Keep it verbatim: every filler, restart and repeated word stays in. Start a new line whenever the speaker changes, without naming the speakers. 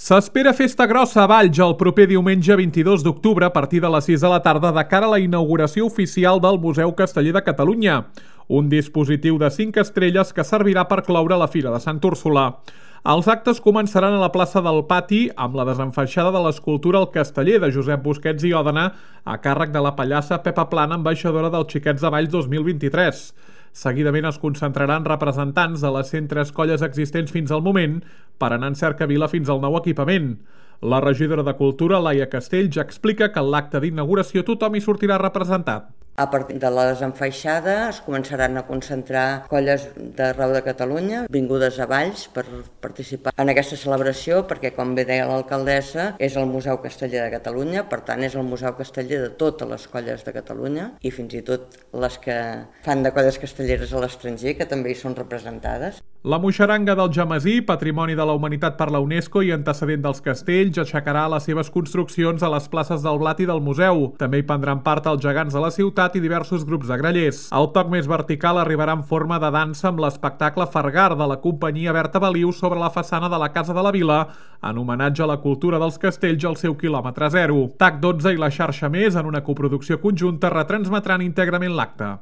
S'espera festa grossa a Valls el proper diumenge vint-i-dos d'octubre a partir de les sis de la tarda de cara a la inauguració oficial del Museu Casteller de Catalunya, un dispositiu de cinc estrelles que servirà per cloure la Fira de Sant Úrsula. Els actes començaran a la plaça del Pati amb la desenfaixada de l'escultura El Casteller de Josep Busquets i Òdena a càrrec de la pallassa Pepa Plana, ambaixadora dels Xiquets de Valls dos mil vint-i-tres. Seguidament es concentraran representants de les cent tres colles existents fins al moment per anar en cercavila fins al nou equipament. La regidora de Cultura, Laia Castell, ja explica que en l'acte d'inauguració tothom hi sortirà representat.
A partir de la desenfaixada es començaran a concentrar colles d'arreu de Catalunya vingudes a Valls per participar en aquesta celebració perquè, com bé deia l'alcaldessa, és el Museu Casteller de Catalunya, per tant és el Museu Casteller de totes les colles de Catalunya i fins i tot les que fan de colles castelleres a l'estranger, que també hi són representades.
La moixeranga del Jamasí, Patrimoni de la Humanitat per la UNESCO i antecedent dels castells, aixecarà les seves construccions a les places del Blat i del Museu. També hi prendran part els gegants de la ciutat i diversos grups de grallers. El toc més vertical arribarà en forma de dansa amb l'espectacle Fargar de la companyia Berta Baliu sobre la façana de la Casa de la Vila, en homenatge a la cultura dels castells al seu quilòmetre zero. TAC dotze i la xarxa Més, en una coproducció conjunta, retransmetran íntegrament l'acte.